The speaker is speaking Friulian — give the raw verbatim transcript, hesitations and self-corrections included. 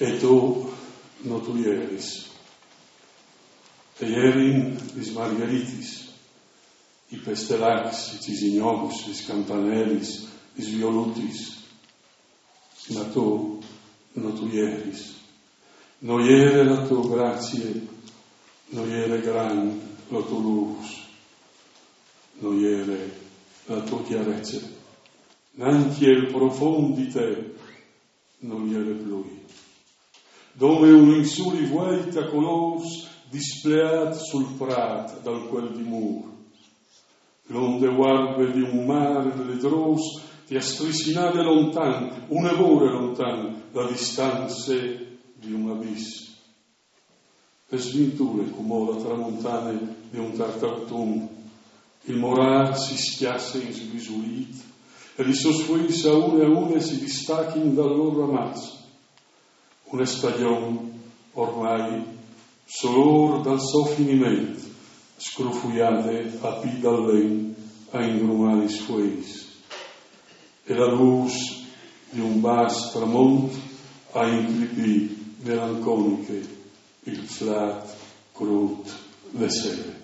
E to no tu jeris. E jerin lis margheritis, i pestelacs, i cisignons, lis campanelis, lis violutis. Ma to no tu jeris. No jere la to gracie, no jere gran la to lûs, no jere la to cjarece. Nancje il profont di te nol jere plui. Dome un linzuli vueit a colôrs displeât sul prât dal Cuel di Mûr. L'onde vuarbe di un mâr ledrôs ti à strissinade lontan, une vore lontan, la distance di un abìs. E svinture cumò la tramontane di un tart autun. Il morâr si scjasse in sgrisulît e lis sôs fueis a une a une si distachin dal lôr ramaç. Une stagjon ormai solôr dal so finiment, scrufuiade a pît dal len a ingrumâ lis fueis. E la lûs di un bas tramont a inclipî melanconiche il flât crût de sere.